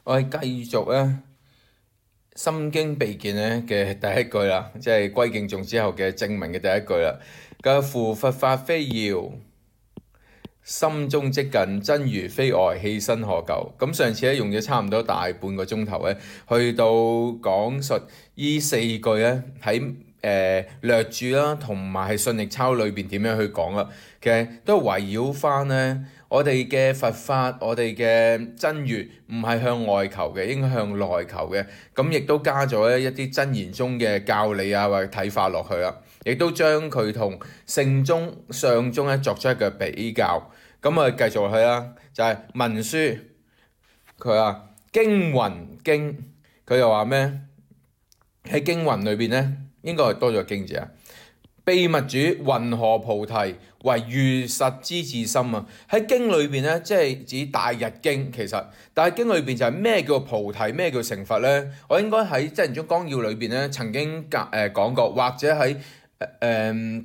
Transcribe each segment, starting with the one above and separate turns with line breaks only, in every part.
我哋繼續咧《心經備見》咧嘅第一句啦，即係歸敬頌之後嘅正文嘅第一句啦。嘅夫佛法非要，心中即近，真如非外，棄身可救。咁上次咧用咗差唔多大半個鐘頭咧，去到講述呢四句咧喺略注啦，同埋係信力抄裏邊點樣去講啦。其實都係圍繞翻咧我哋嘅佛法，我哋嘅真如唔係向外求嘅，應該向內求嘅。咁亦都加咗一啲真言中嘅教理啊或者睇法落去啦，亦都將佢同聖宗、上宗咧作出一個比較。咁啊繼續落去啦，就係文書，佢話經雲經，佢又話咩？喺經雲裏邊咧，應該係多咗個經字啊。秘密主云何菩提為如實之自心啊？喺經裏邊咧，即係指大日經。其實大日經裏邊就係咩叫菩提，咩叫成佛咧？我應該喺真言宗綱要裏邊咧曾經講過，或者喺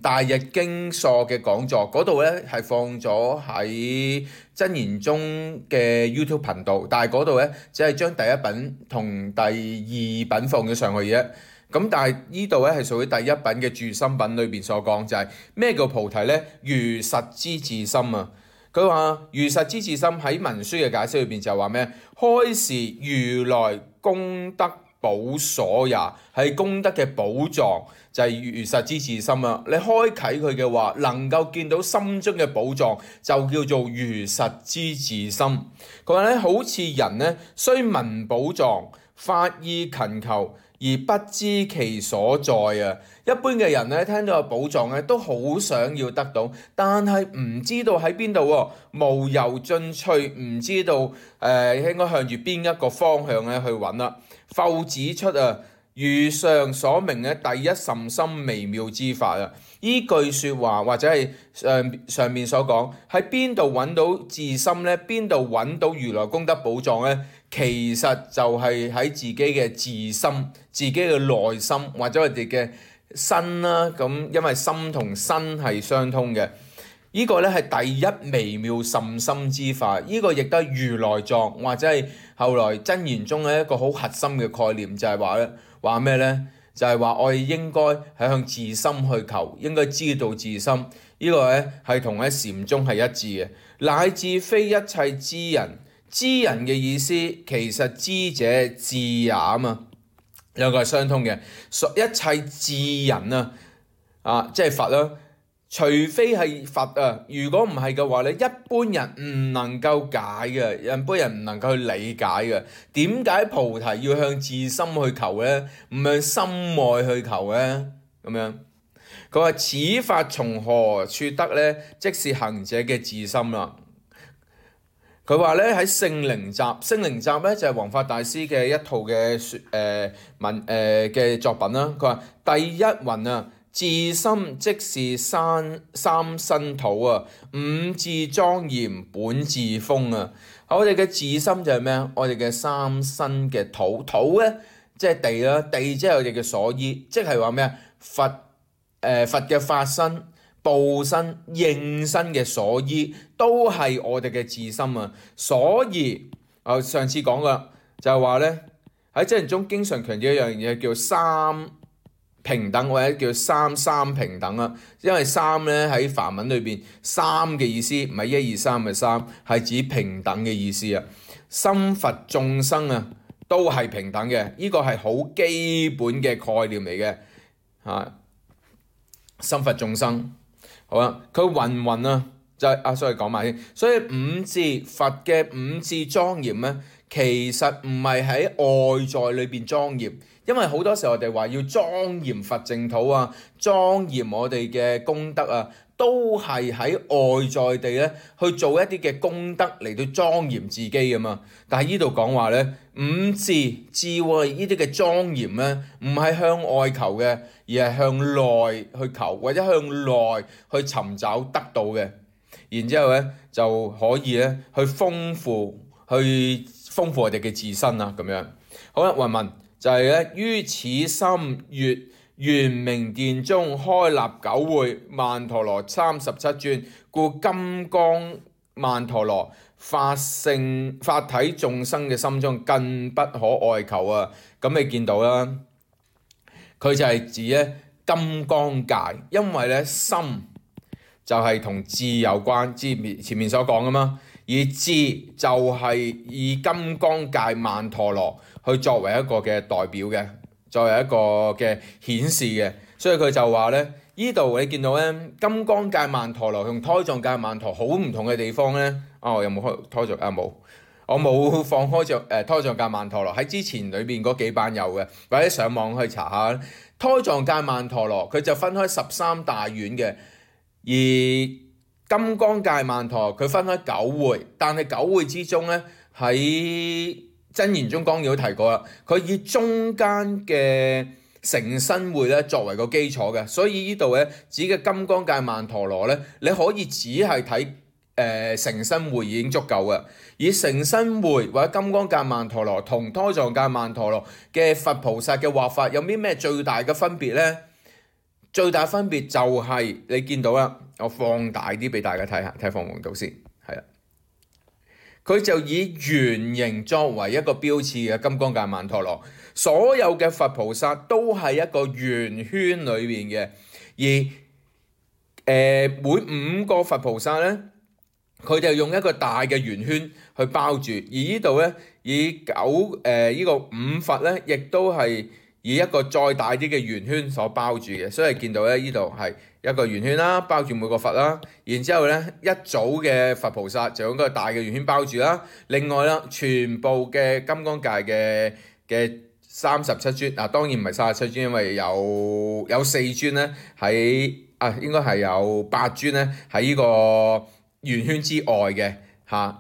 大日經疏嘅講座嗰度咧係放咗喺真言宗嘅 YouTube 頻道，但係嗰度咧只係將第一品同第二品放咗上去嘅啫。咁但係呢度咧係屬於第一品嘅住心品裏邊所講，就係咩叫菩提咧？如實之自心啊！佢話如實之自心喺文書嘅解釋裏邊就話咩？開示如來功德寶所也，係功德嘅寶藏，就係如實之自心啊！你開啟佢嘅話，能夠見到心中嘅寶藏，就叫做如實之自心。佢話咧，好似人咧，雖聞寶藏，發意勤求，而不知其所在啊！一般嘅人咧，聽到有寶藏咧，都好想要得到，但係唔知道喺邊度喎，無由進取，唔知道應該向住邊一個方向咧去揾啦。復指出啊，如上所明嘅第一甚深微妙之法啊！依句説話或者係上面所講，喺邊度揾到自心咧？邊度揾到如來功德寶藏咧？其實就係喺自己嘅自心、自己嘅內心或者我哋嘅身啦。咁因為心同身係相通嘅，呢個咧係第一微妙甚深之法。呢個亦都係如來藏或者係後來真言中嘅一個好核心嘅概念，就係話咩咧？就係話我哋應該係向自心去求，應該知道自心。呢個咧係同喺禪宗係一致嘅，乃至非一切知人。知人嘅意思其實知者智也啊嘛，兩個係相通嘅。一切智人即係佛啦。除非係佛啊，如果唔係嘅話咧，一般人唔能夠解嘅，一般人唔能夠去理解嘅。點解菩提要向自心去求咧？唔向心外去求咧？咁樣佢話此法從何處得咧？即是行者嘅自心啦。佢話咧喺聖靈集，聖靈集咧就係弘法大師嘅一套嘅嘅作品啦。佢話第一云啊，自心即是三身土啊，五智莊嚴本自風啊。我哋嘅自心就係咩啊？我哋嘅三身嘅土，土咧即係地啦，地即係我哋嘅所依，即係話咩啊？佛嘅法身、報身、應身嘅所依，都係我哋嘅自心啊！所以上次講噶就係話咧，喺真言中經常強調一樣嘢叫三平等，或者叫三平等啊。因為三咧喺梵文裏邊，三嘅意思唔係一二三嘅三，係指平等嘅意思啊。心佛眾生啊，都係平等嘅，呢個係好基本嘅概念嚟嘅嚇。心佛眾生。好啦，佢云啊，就係所以講埋先。所以五智佛嘅五智莊嚴咧，其實唔係喺外在裏邊莊嚴，因為好多時候我哋話要莊嚴佛淨土啊，莊嚴我哋嘅功德啊，都係喺外在地咧去做一啲嘅功德嚟到莊嚴自己㗎嘛。但係呢度講話咧，五智智慧呢啲嘅莊嚴咧，唔係向外求嘅，而係向內去求，或者向內去尋找得到嘅。然之後咧就可以咧去豐富我哋嘅自身啊咁樣。好啦，云文就係咧於此心悅圓明殿中開立9會曼陀羅37尊，故金剛曼陀羅，法體眾生嘅心中更不可外求啊！咁你見到啦，佢就係指咧金剛界，因為咧心就係同智有關，前面所講噶嘛，而智就係以金剛界曼陀羅去作為一個嘅代表嘅，作為一個嘅顯示嘅，所以佢就話咧，呢度你見到咧金剛界曼陀羅同胎藏界曼陀好唔同嘅地方咧，我有冇開胎藏啊？冇，我冇放開胎藏界曼陀羅，喺之前裏邊嗰幾版有嘅，或者上網去查下。胎藏界曼陀羅佢就分開13大院嘅，而金剛界曼陀羅佢分開9會，但係9會之中咧喺真言中綱要都提過啦，佢以中間嘅成身會咧作為個基礎嘅，所以呢度咧指嘅金剛界曼陀羅咧，你可以只係睇成身會已經足夠嘅。以成身會或者金剛界曼陀羅同胎藏界曼陀羅嘅佛菩薩嘅畫法有啲咩最大嘅分別呢？最大分別就係你見到啦，我放大啲俾大家睇下，睇放唔到先，係啦。佢就以圓形作為一個標誌嘅金剛界曼陀羅，所有嘅佛菩薩都係一個圓圈裏邊嘅，而每5個佛菩薩咧，佢就用一個大嘅圓圈去包住，而呢度咧以呢個5佛咧，亦都係以一個再大啲嘅圓圈所包住嘅，所以見到咧呢度係一個圓圈啦，包住每個佛啦，然之後咧一組嘅佛菩薩就用一個大嘅圓圈包住啦，另外啦全部嘅金剛界嘅37尊啊，當然唔係37尊，因為有4尊咧喺應該係有8尊咧喺呢個圓圈之外嘅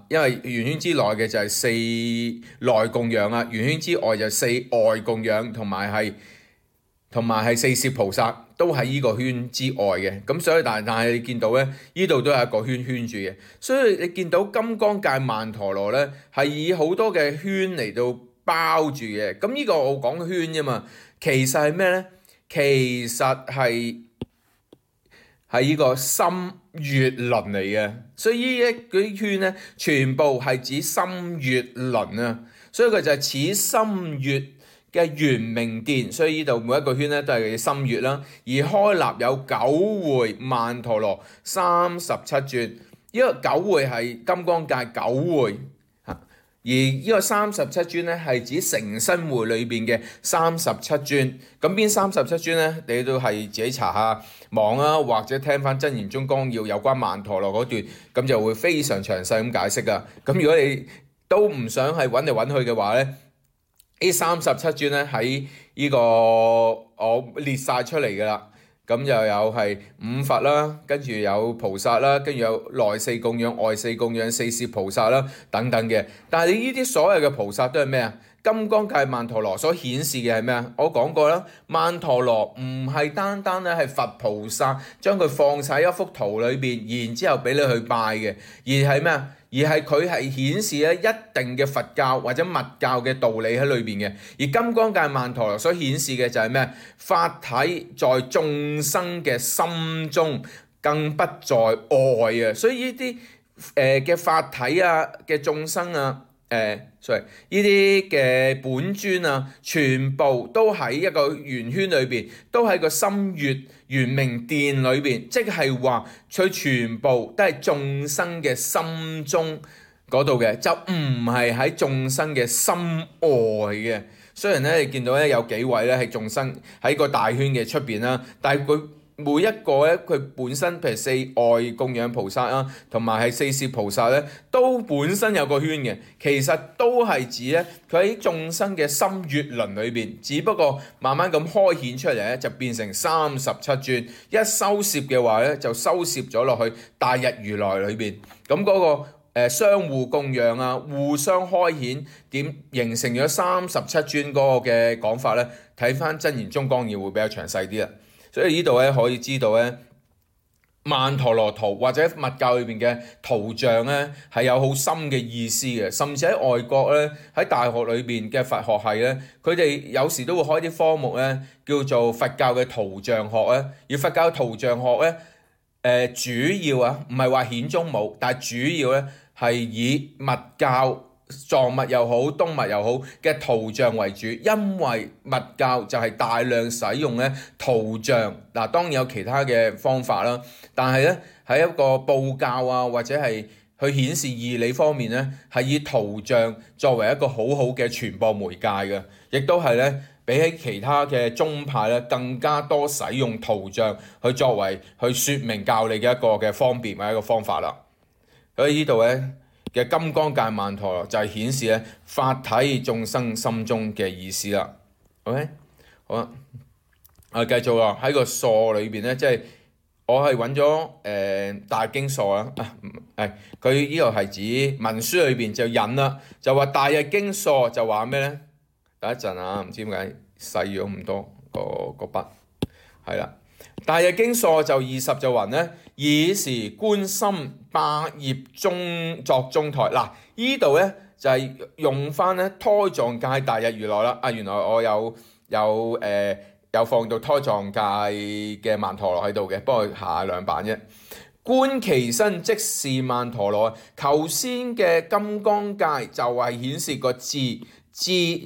因為圓圈之內嘅就係4內供養啊，圓圈之外就4外供養，同埋係4攝菩薩都喺呢個圈之外嘅，咁所以但係你見到咧，呢度都係一個圈圈住嘅，所以你見到金剛界曼陀羅咧係以好多嘅圈嚟到包住嘅，咁呢個我講圈啫嘛，其實係咩咧？其實係呢個心月輪嚟嘅，所以呢啲圈咧全部係指心月輪啊，所以佢就係似心月嘅圓明殿，所以呢度每一個圈咧都係心月啦。而開立有9會曼陀羅37尊，呢個9會係金剛界9會，而呢個37尊咧係指成身會裏邊嘅37尊。咁邊37尊咧？你都係自己查下網啊，或者聽翻真言中綱要有關曼陀羅嗰段，咁就會非常詳細咁解釋噶。咁如果你都唔想係揾嚟揾去嘅話咧，呢37尊咧喺呢個我列晒出嚟噶啦。咁又有係5佛啦，跟住有菩薩啦，跟住有內4供養、外4供養、4攝菩薩啦等等嘅。但係你呢啲所有嘅菩薩都係咩啊？金剛界曼陀羅所顯示嘅係咩啊？我講過啦，曼陀羅唔係單單咧係佛菩薩將佢放晒一幅圖裏邊，然之後俾你去拜嘅，而係咩啊？而係佢係顯示咧一定嘅佛教或者密教嘅道理喺裏邊嘅。而金剛界曼陀羅所顯示嘅就係咩？法體在眾生嘅心中，更不在外啊！所以呢啲嘅法體啊嘅眾生啊，呢啲嘅本尊啊，全部都喺一個圓圈裏邊，都喺個心月圓明殿裏邊，即係話佢全部都係眾生嘅心中嗰度嘅，就唔係喺眾生嘅心外嘅。雖然咧你見到咧有幾位咧係眾生喺個大圈嘅出邊啦，但係佢每一個咧佢本身譬如4外供養菩薩啊，同埋係4攝菩薩咧，都本身有個圈嘅，其實都係指咧佢喺眾生嘅心月輪裏邊，只不過慢慢咁開顯出嚟咧，就變成37尊，一收攝嘅話咧就收攝咗落去大日如來裏邊，咁嗰個相互供養啊，互相開顯點形成咗37尊嗰個嘅講法咧，睇翻真言中綱要會比較詳細啲啦。所以呢度咧可以知道咧，曼陀羅圖或者密教裏邊嘅圖像咧係有好深嘅意思嘅，甚至喺外國咧喺大學裏邊嘅佛學系咧，佢哋有時都會開啲科目咧叫做佛教嘅圖像學咧，而佛教圖像學咧主要啊，唔係話顯宗冇，但係主要咧係以密教藏物又好、東物又好嘅圖像為主，因為密教就係大量使用咧圖像。嗱，當然有其他嘅方法啦，但係咧喺一個佈教啊，或者係去顯示義理方面咧，係以圖像作為一個好好嘅傳播媒介嘅，亦都係咧比起其他嘅宗派咧更加多使用圖像去作為去説明教理嘅一個嘅方便或者一個方法啦。所以呢度咧嘅金剛界曼陀羅就係顯示咧法體眾生心中嘅意思啦。OK， 好啦，我繼續啦，喺個疏裏邊咧，即係我係揾咗大經疏啦，佢呢個係指文書裏邊就引啦，就話大日經疏就話咩咧？等一陣啊，唔知點解細咗咁多個筆，係啦。大日經疏就20就雲咧，以是觀心百葉中作中台。嗱，呢度咧就係用翻咧胎藏界大日如來啦。原來我有放到胎藏界嘅曼陀羅喺度嘅，不過下兩版啫。觀其身即是曼陀羅。頭先嘅金剛界就係顯示個智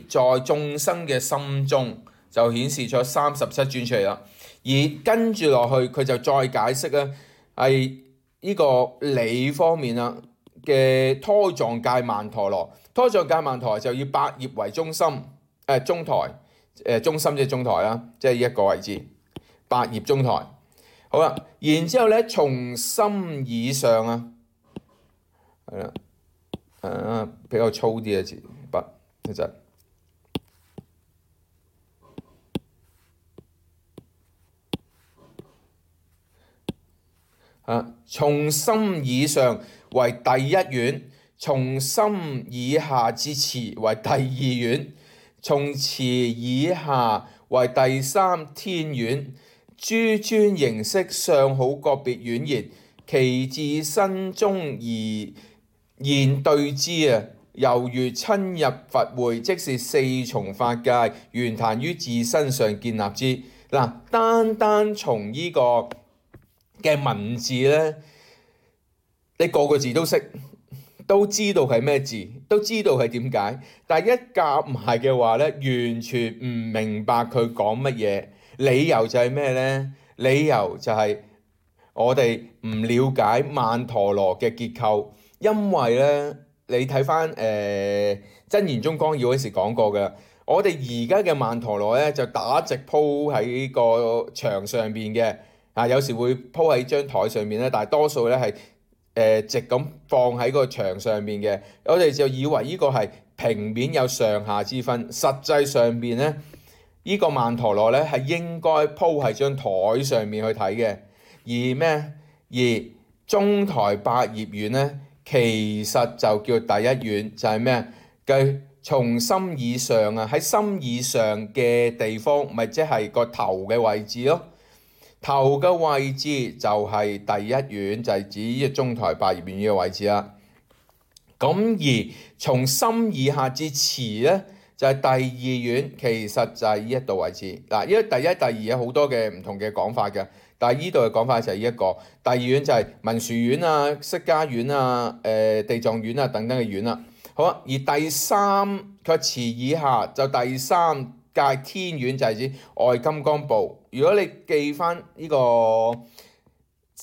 在眾生嘅心中，就顯示咗37尊出嚟啦。而跟住落去，佢就再解釋咧，係呢個理方面啦嘅胎藏界曼陀羅。胎藏界曼陀羅就以百葉為中心，中台，中心即係中台啦，即係呢一個位置，百葉中台。好啦，然之後咧，從心以上啊，係啦，比較粗啲嘅字筆一陣。從心以上為第一院，從心以下至持為第二院，從持以下為第三天院。諸尊形色相好個別院言，其自身中而現對之啊，猶如親入佛會，即是四重法界圓壇於自身上建立之。嗱，單從呢個嘅文字咧，你個個字都識，都知道係咩字，都知道係點解，但係一夾埋嘅話咧，完全唔明白佢講乜嘢。理由就係咩咧？理由就係我哋唔了解曼陀羅嘅結構，因為咧你睇翻真言宗綱要嗰時講過嘅，我哋而家嘅曼陀羅咧就打直鋪喺個牆上邊嘅，有時會鋪喺張台上面咧，但係多數咧係直咁放喺個牆上面嘅，我哋就以為呢個係平面有上下之分，實際上邊咧。呢個曼陀羅咧係應該鋪喺張台上面去睇嘅，而咩？而中台百葉院咧，其實就叫第一院，就係咩？佢從心以上啊，喺心以上嘅地方，咪即係個頭嘅位置咯。頭嘅位置就係第一院，就係指呢個中台百葉院呢個位置啦。咁而從心以下至持咧，就係第二院，其實就係呢一度位置。嗱，因為第一、第二有好多嘅唔同嘅講法嘅，但係呢度嘅講法就係呢一個。第二院就係文殊院啊、釋迦院啊、地藏院啊等等嘅院啦。好啊，而第三佢持以下就第三界天院，就係指外金剛部。如果你記翻呢個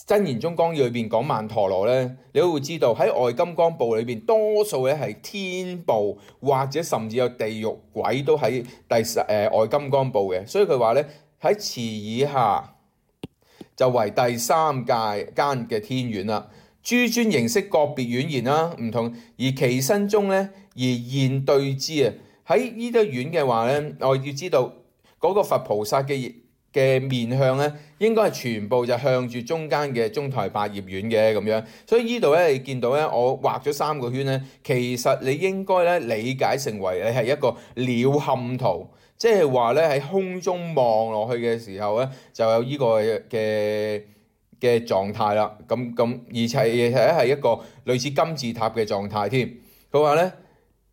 真言宗綱要裏邊講曼陀羅咧，你都會知道喺外金剛部裏邊多數咧係天部或者甚至有地獄鬼都喺外金剛部嘅，所以佢話咧喺持以下就為第三界間嘅天院啦。諸尊形色個別院言啦，唔同而其身中咧而現對之啊。喺呢啲院嘅話咧，我要知道嗰個佛菩薩嘅面向咧，應該係全部就向住中間嘅中台百葉院嘅咁樣，所以呢度咧你見到咧，我畫咗3個圈咧，其實你應該咧理解成為你係一個鳥瞰圖，即係話咧喺空中望落去嘅時候咧，就有呢個嘅狀態啦。咁而且係一個類似金字塔嘅狀態添。佢話咧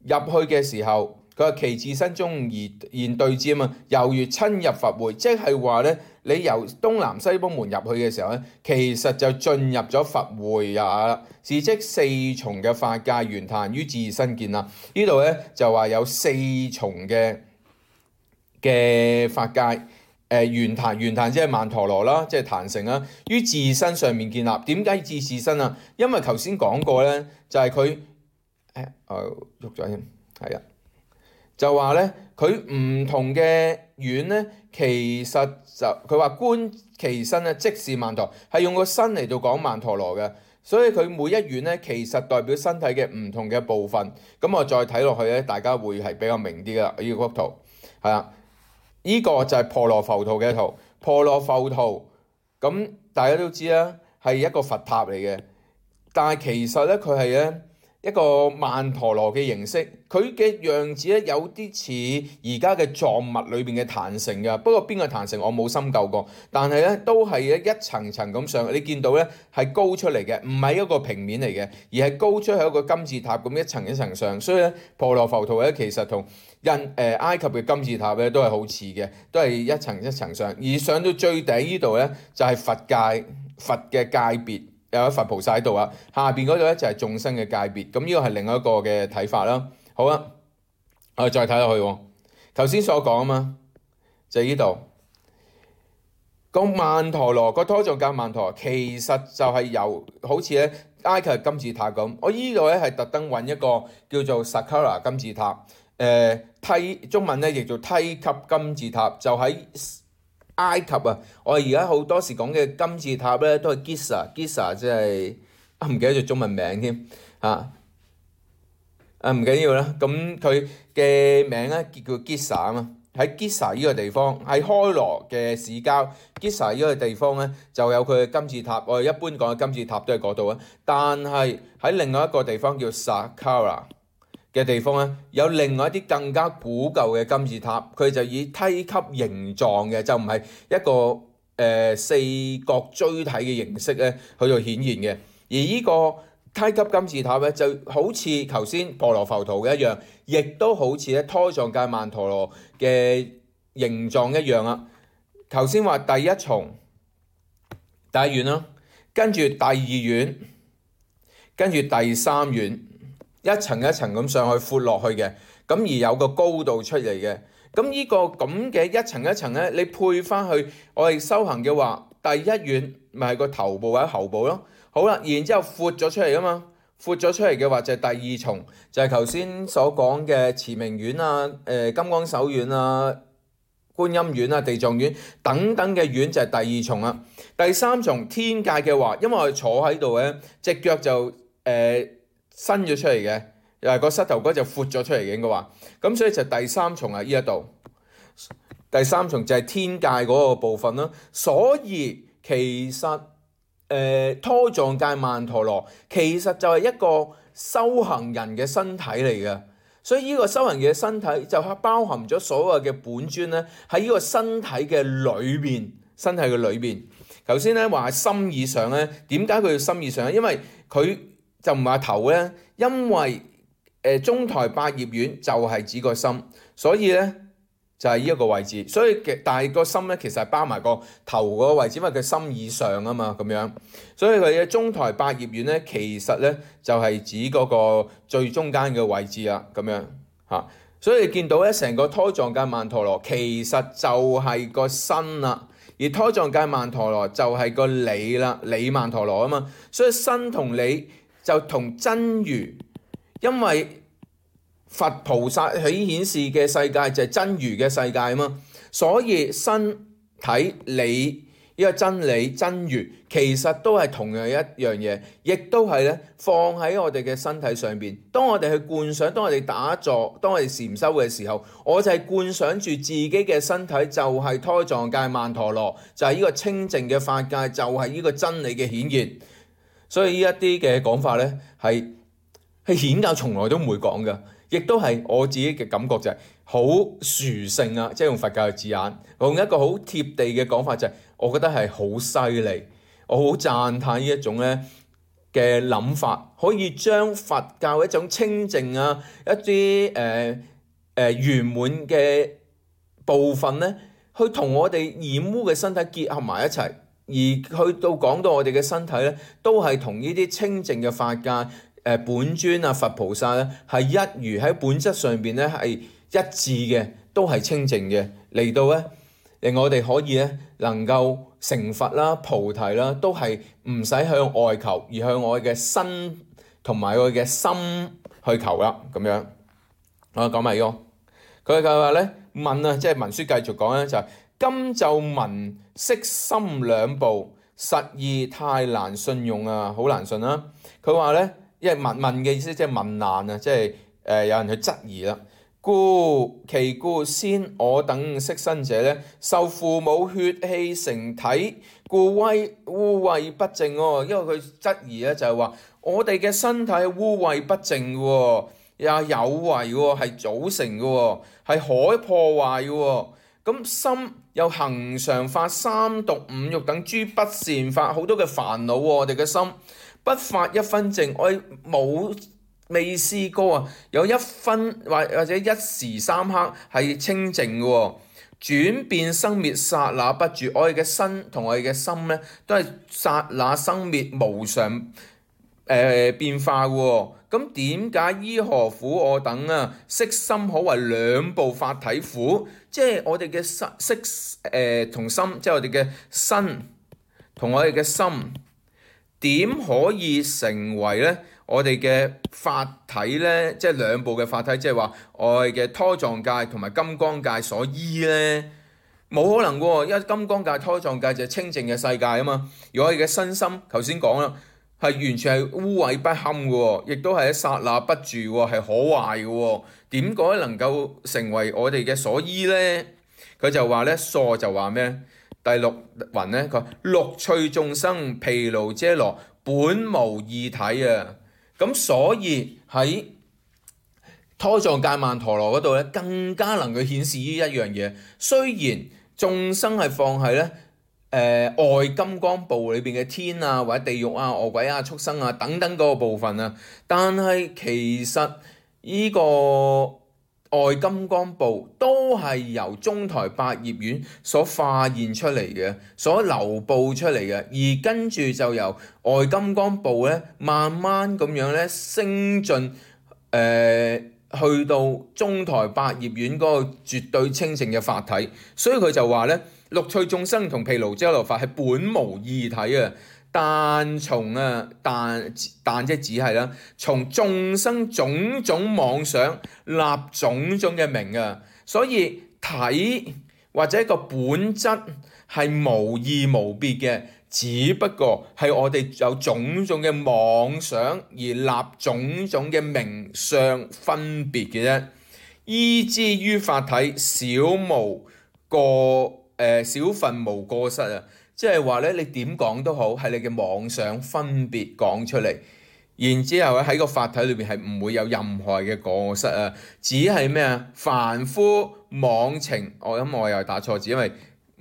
入去嘅時候。佢話其自身中而現對之啊嘛，猶如親入佛會，即係話咧，你由東南西北門入去嘅時候咧，其實就進入咗佛會也啦。是即四重嘅法界圓壇於自身見啦。呢度咧就話有四重嘅法界，圓壇即係曼陀羅啦，即係壇城啦，於自身上面建立。點解至自身啊？因為頭先講過咧，就係佢喐咗添，係啊。就話咧，佢唔同嘅院咧，其實就佢話觀其身咧，即是曼陀，係用個身嚟到講曼陀羅嘅，所以佢每一院咧，其實代表身體嘅唔同嘅部分。咁我再睇落去咧，大家會係比較明啲噶啦。呢幅圖係啦，呢個就係婆羅浮屠嘅圖。婆羅浮屠咁大家都知啦，係一個佛塔嚟嘅，但係其實咧佢係咧一個曼陀羅嘅形式，佢嘅樣子咧有啲似而家嘅藏物裏邊嘅壇城㗎。不過邊個壇城我冇深究過，但係咧都係一層層咁上。你見到咧係高出嚟嘅，唔係一個平面嚟嘅，而係高出係一個金字塔咁一層一層上。所以咧婆羅浮屠咧其實同埃及嘅金字塔咧都係好似嘅，都係一層一層上。而上到最底呢度咧就係佛嘅界別。有佛菩薩喺度啊，下邊嗰度咧就係眾生嘅界別，咁呢個係另一個嘅睇法啦。好啦，我哋再睇落去，頭先所講啊嘛，就係呢度個曼陀羅個拖藏界曼陀羅，其實就係由好似咧埃及金字塔咁。我呢度咧係特登揾一個叫做 Saqqara 金字塔，中文咧譯做梯級金字塔，就喺埃及啊！我哋而家好多時講嘅金字塔咧，都係 Giza，即係唔記得咗中文名添嚇。唔緊要啦，咁佢嘅名咧叫 Giza 啊嘛。喺 Giza 呢個地方，喺開羅嘅市郊 Giza 呢個地方咧，就有佢嘅金字塔。我哋一般講嘅金字塔都係嗰度啊。但係喺另外一個地方叫 Saqqara嘅地方咧，有另外一啲更加古舊嘅金字塔，佢就以梯級形狀嘅，就唔係一個四角錐體嘅形式咧去到顯現嘅。而呢個梯級金字塔咧，就好似頭先婆羅浮屠嘅一樣，亦都好似咧拖藏界曼陀羅嘅形狀一樣啊。頭先話第一重第一院啦，跟住第二院，跟住第三院。一層一層咁上去闊落去嘅，咁而有個高度出嚟嘅，咁呢個咁嘅一層一層咧，你配翻去我哋修行嘅話，第一院咪係個頭部或者喉部咯。好啦，然之後闊咗出嚟噶嘛，闊咗出嚟嘅話就係第二重，就係頭先所講嘅持明院啊、金剛手院啊、觀音院啊、地藏院等等嘅院就係第二重啦。第三重天界嘅話，因為我哋坐喺度咧，隻腳就伸咗出嚟嘅，又係個膝頭哥就闊咗出嚟嘅應該話，咁所以就第三重啊，呢一度第三重就係天界嗰個部分啦。所以其實拖藏界曼陀羅其實就係一個修行人嘅身體嚟嘅，所以呢個修行嘅身體就係包含咗所有嘅本尊咧喺呢個身體嘅裏邊，身體嘅裏邊。頭先咧話心以上咧，點解佢要心以上咧？因為佢就唔係頭咧，因為中台百葉院就係指個心，所以咧就係呢一個位置。所以但係個心咧其實係包埋個頭嗰個位置，因為佢心以上啊嘛咁樣。所以佢嘅中台百葉院咧，其實咧就係指嗰個最中間嘅位置啦咁樣嚇。所以你見到咧成個拖藏界曼陀羅其實就係個身啦。而拖藏界曼陀羅就係個理啦，理曼陀羅啊嘛，所以身同理就同真如，因為佛菩薩喺顯示嘅世界就係真如嘅世界啊嘛，所以身體理呢個真理真如其實都係同樣一樣嘢，亦都係咧放喺我哋嘅身體上邊。當我哋去觀想，當我哋打坐，當我哋禪修嘅時候，我就係觀想住自己嘅身體就係拖藏界曼陀羅，就係呢個清淨嘅法界，就係呢個真理嘅顯現。所以呢一啲嘅講法咧係顯教從來都唔會講嘅，亦都係我自己嘅感覺就係好殊勝啊！即係用佛教嘅字眼，用一個好貼地嘅講法就係，我覺得係好犀利，我好讚歎呢一種咧嘅諗法，可以將佛教一種清淨啊一啲圓滿嘅部分咧，去同我哋染污嘅身體結合埋一齊，而去到講到我哋嘅身體咧，都係同呢啲清淨嘅法界、本尊啊、佛菩薩咧係一如，喺本質上邊咧係一致嘅，都係清淨嘅，嚟到咧令我哋可以咧能夠成佛啦、菩提啦，都係唔使向外求，而向我嘅身同埋我嘅心去求啦，咁樣。我講埋呢個，佢就話咧問啊，即係文書繼續講咧，就係今就聞色心兩部，實義太難信用啊，好難信啦。佢話咧，因為問嘅意思即係問難啊，即係有人去質疑啦。其故先我等色身者咧，受父母血氣成體，故污穢不淨喎。因為佢質疑咧就係話，我哋嘅身體污穢不淨喎，又有為喎，係組成嘅喎，係可破壞嘅喎。咁心又恆常發三毒五欲等諸不善法，好多嘅煩惱喎。我哋嘅心不發一分淨，我未試過啊，有一分或者一時三刻係清淨嘅喎，轉變生滅剎那不住。我哋嘅身同我哋嘅心咧，都係剎那生滅無常變化嘅喎。咁點解依何苦我等啊？色心可為兩部法體苦？即係我哋嘅色同心，即係我哋嘅身同我哋嘅心，點可以成為咧？我哋嘅法體咧，即係兩部嘅法體，即係話我哋嘅胎藏界同埋金剛界所依咧，冇可能喎，因為金剛界、胎藏界就係清淨嘅世界啊嘛。而我哋嘅身心，頭先講啦，係完全係污穢不堪嘅喎，亦都係喺剎那不住喎，係可壞嘅喎。點解能夠成為我哋嘅所依咧？佢就話咧，疏就話咩？第六雲咧，佢話六趣眾生毗盧遮羅本無二體啊。咁所以喺胎藏界曼陀羅嗰度咧，更加能夠顯示呢一樣嘢。雖然眾生係放喺咧外金剛部裏邊嘅天啊，或者地獄啊、餓鬼啊、畜生啊等等嗰個部分啊，但係其實呢個外金剛部都係由中台百葉院所化現出嚟嘅，所流布出嚟嘅，而跟住就由外金剛部咧，慢慢咁樣咧升進去到中台百葉院嗰個絕對清淨嘅法體，所以佢就話咧，六趣眾生同毗盧遮羅法係本無二體啊。但即係只係啦，從眾生種種妄想立種種嘅名啊，所以體或者一個本質係無異無別嘅，只不過係我哋有種種嘅妄想而立種種嘅名相分別嘅啫。依之於法體，少分無過失啊！即係話咧，你點講都好，係你嘅妄想分別講出嚟，然之後咧喺個法體裏邊係唔會有任何嘅過失啊，只係咩啊？凡夫妄情，我又打錯字，因為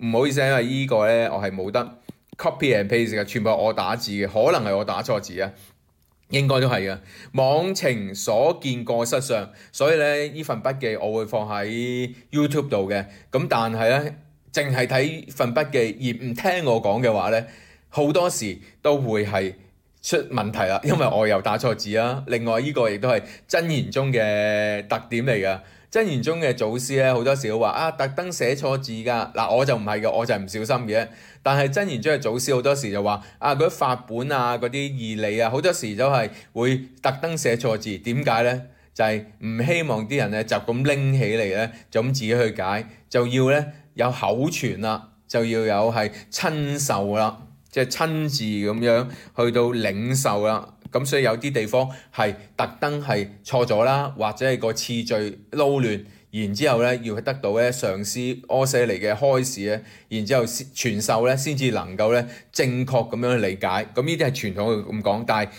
唔好意思，因為依個咧我係冇得 copy and paste 嘅，全部係我打字嘅，可能係我打錯字啊，應該都係嘅。妄情所見過失相，所以咧呢份筆記我會放喺 YouTube 度嘅，咁但係咧，淨係睇份筆記而唔聽我講嘅話咧，好多時都會係出問題啦，因為我又打錯字啦。另外呢個亦都係真言宗嘅特點嚟㗎。真言宗嘅祖師咧，好多時都話啊，特登寫錯字㗎。嗱，我就唔係嘅，我就係唔小心嘅。但係真言宗嘅祖師好多時就話啊，嗰啲法本啊、嗰啲義理啊，好多時都係會特登寫錯字。點解咧？就係唔希望啲人咧就咁拎起嚟咧，就咁自己去解，就要咧有口傳啦，就要有係親受啦，即係親自咁樣去到領受啦。咁所以有啲地方係特登係錯咗啦，或者係個次序撈亂，然之後咧要得到咧上師阿闍黎嘅開示咧，然之後傳授咧先至能夠咧正確咁樣去理解。咁呢啲係傳統咁講，但係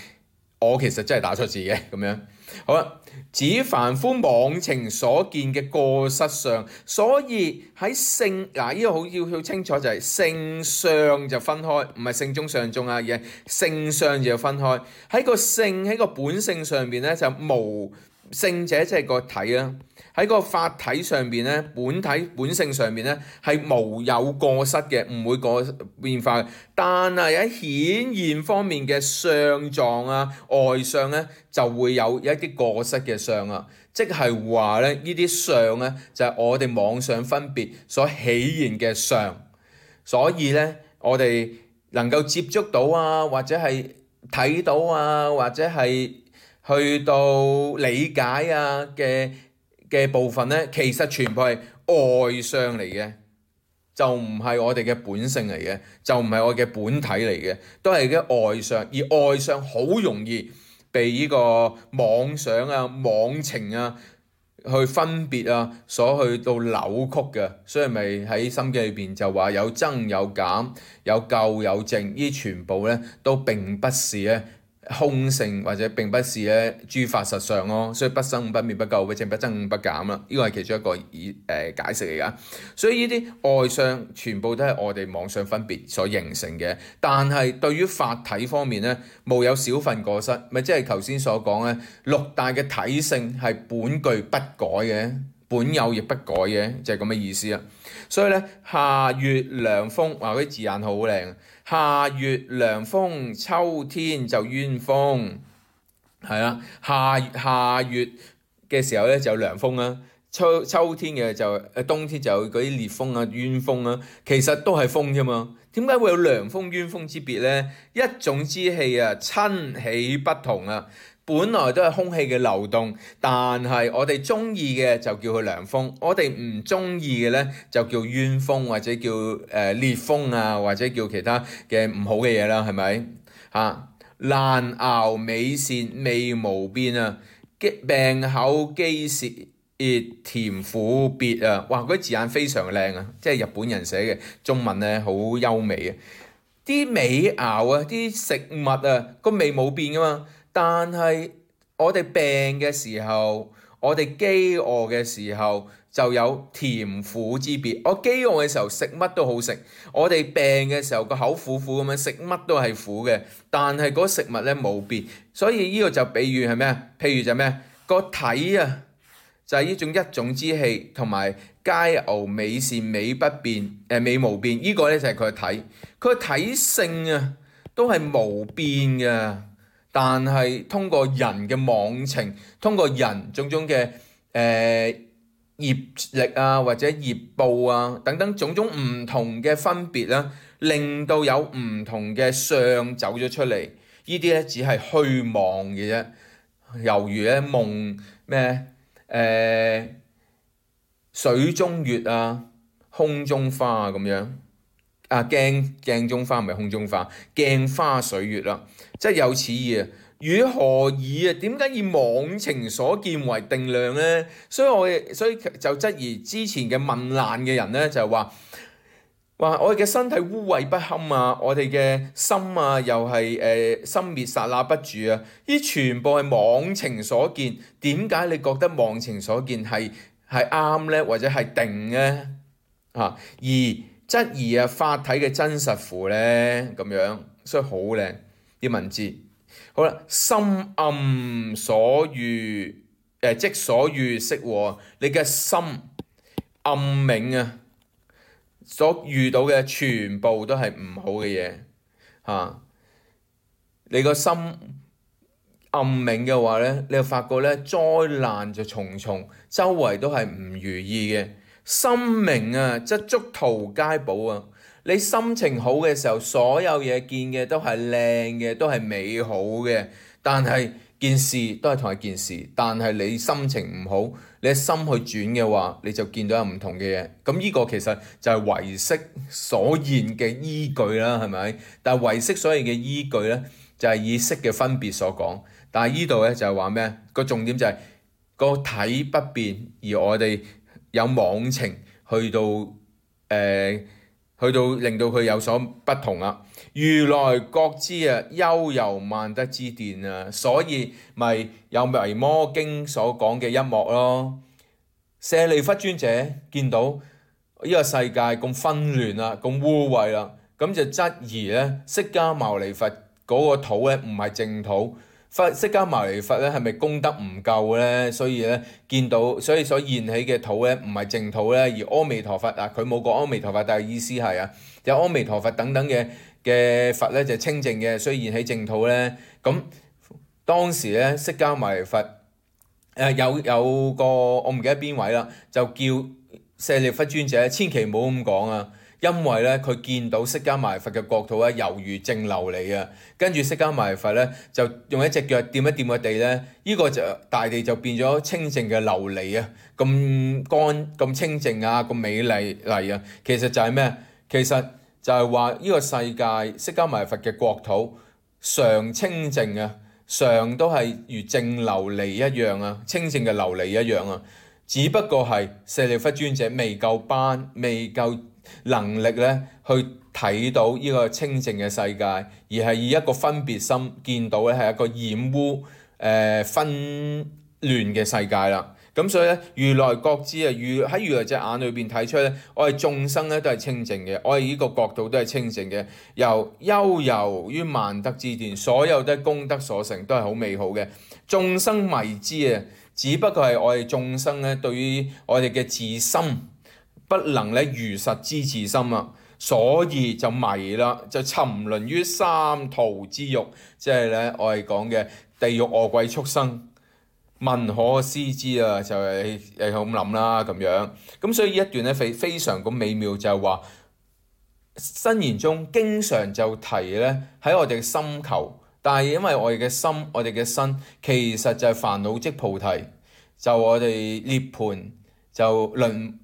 我其實真係打錯字嘅咁樣。好啦，指凡夫妄情所見嘅過失相，所以喺性呢個好要清楚，就係性相就分開，唔係性中上中啊，而係性相就要分開。喺個性喺個本性上邊咧就無聖者即係個體啦，喺個法體上邊咧，本性上邊咧係無有過失嘅，唔會變化嘅。但係喺顯現方面嘅相狀啊、外相咧，就會有一啲過失嘅相啊。即係話咧，呢啲相咧就係我哋妄想分別所起現嘅相。所以咧，我哋能夠接觸到啊，或者係睇到啊，或者係去到理解啊嘅部分咧，其實全部係外相嚟嘅，就唔係我哋嘅本性嚟嘅，就唔係我嘅本體嚟嘅，都係嘅外相。而外相好容易被呢個妄想啊、妄情啊去分別啊，所去到扭曲嘅，所以咪喺心經裏邊就話有增有減，有垢有淨，呢全部咧都並不是咧空性，或者並不是咧諸法實相咯，所以不生不滅不垢不淨不增不減啦，呢個係其中一個解釋嚟噶。所以呢啲外相全部都係我哋妄想分別所形成嘅，但係對於法體方面咧，無有少分過失，咪即係頭先所講咧，六大嘅體性係本具不改嘅，本有亦不改嘅，就係咁嘅意思啦。所以咧，夏月涼風，話嗰啲字眼好靚。夏月涼風，秋天就冤風，係啦。夏月嘅時候咧就有涼風啦，秋天嘅就冬天就有嗰啲烈風啊、冤風啊，其實都係風啫嘛。點解會有涼風冤風之別咧？一種之氣啊，親起不同啊。本來都係空氣嘅流動，但係我哋中意嘅就叫佢涼風，我哋唔中意嘅咧就叫冤風，或者叫烈風啊，或者叫其他嘅唔好嘅嘢啦，係咪嚇？難熬美善味無變啊，病口肌舌甜苦別啊，哇！嗰啲字眼非常靚啊，即係日本人寫嘅中文咧，好優美啊。啲美肴啊，啲食物啊，個味冇變噶嘛。但係我哋病嘅時候，我哋飢餓嘅時候就有甜苦之別。我飢餓嘅時候食乜都好食，我哋病嘅時候個口苦苦咁樣食乜都係苦嘅。但係嗰食物咧冇變，所以呢個就比喻係咩啊？譬如就咩啊？個體啊，就係呢種一種之氣，同埋佳牛美善美不變，美無變。呢個咧就係佢嘅體，佢嘅體性啊都係無變嘅。但係通過人嘅妄情，通過人種種嘅業力啊，或者業報啊等等種種唔同嘅分別啦，令到有唔同嘅相走咗出嚟。呢啲咧只係虛妄嘅啫，猶如咧夢咩水中月啊，空中花啊咁樣。啊，鏡中花唔係空中花，鏡花水月啦，即係有此意啊。與何異啊？點解以妄情所見為定量咧？所以就質疑之前嘅問難嘅人咧，就係話我哋嘅身體污穢不堪啊，我哋嘅心啊又係心滅剎那不住啊！呢全部係妄情所見。點解你覺得妄情所見係啱咧，或者係定咧？而質疑法體嘅真實乎咧咁樣，所以好靚啲文字。好啦，心暗所遇即所遇識禍，你嘅心暗冥啊，所遇到嘅全部都係唔好嘅嘢嚇。你個心暗冥嘅話咧，你就發覺咧災難就重重，周圍都係唔如意嘅。心明啊，則觸途皆寶啊！你心情好嘅時候，所有嘢見嘅都係靚嘅，都係美好嘅。但係件事都係同一件事，但係你心情唔好，你心去轉嘅話，你就見到有唔同嘅嘢。咁呢個其實就係唯識所言嘅依據啦，係咪？但係唯識所言嘅依據咧，就係以識嘅分別所講。但係呢度咧就係話咩？個重點就係個體不變，而我哋有妄情去到令到佢有所不同啊！如來覺知啊，悠遊萬德之殿啊，所以咪有《維摩經》所講嘅一幕咯。舍利弗尊者見到呢個世界咁紛亂啦，咁污穢啦，咁就質疑咧，釋迦牟尼佛嗰個土咧唔係淨土，釋迦牟尼佛咧係咪功德唔夠咧？所以咧見到所現起嘅土咧唔係淨土咧，而阿彌陀佛啊，佢冇講阿彌陀佛，但係意思係啊，有阿彌陀佛等等嘅佛咧就清淨嘅，所以現起淨土咧。咁當時咧釋迦牟尼佛有個我唔記得邊位啦，就叫舍利弗尊者千祈唔好咁講啊！因為咧，佢見到釋迦牟尼佛嘅國土咧，猶如淨琉璃啊。跟住釋迦牟尼佛咧，就用一隻腳掂一掂個地咧，呢個就大地就變咗清淨嘅琉璃啊，咁乾、咁清淨啊，咁美麗啊。其實就係咩？其實就係話呢個世界釋迦牟尼佛嘅國土常清淨啊，常都係如淨琉璃一樣啊，清淨嘅琉璃一樣啊。只不過係舍利弗尊者未夠班，未夠能力咧去睇到呢個清淨嘅世界，而係以一個分別心見到咧係一個染污、紛亂嘅世界啦。咁所以咧，如來覺知啊，喺如來隻眼裏邊睇出咧，我哋眾生咧都係清淨嘅，我哋呢個國度都係清淨嘅，悠遊於萬德之殿，所有的功德所成都係好美好嘅。眾生迷之啊，只不過係我哋眾生咧對於我哋嘅自心不能咧如實知自心啊，所以就迷啦，就沉淪於三途之獄，即係咧我哋講嘅地獄餓鬼畜生。問可思之啊，就係你咁諗啦咁樣。咁所以呢一段咧非常咁美妙，就係話申言中經常就提咧喺我哋嘅心求，但係因為我哋嘅心、我哋嘅身其實就係煩惱即菩提，就我哋涅槃就輪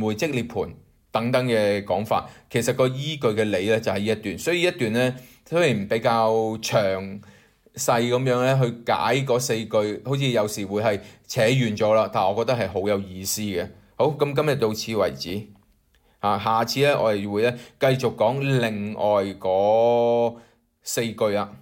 迴即涅槃等等嘅講法。其實個依據嘅理咧就係呢一段，所以一段咧雖然比較長細咁樣咧去解嗰4句，好似有時會係扯遠咗啦，但係我覺得係好有意思嘅。好，咁今日到此為止。下次咧我哋會咧繼續講另外嗰4句啦。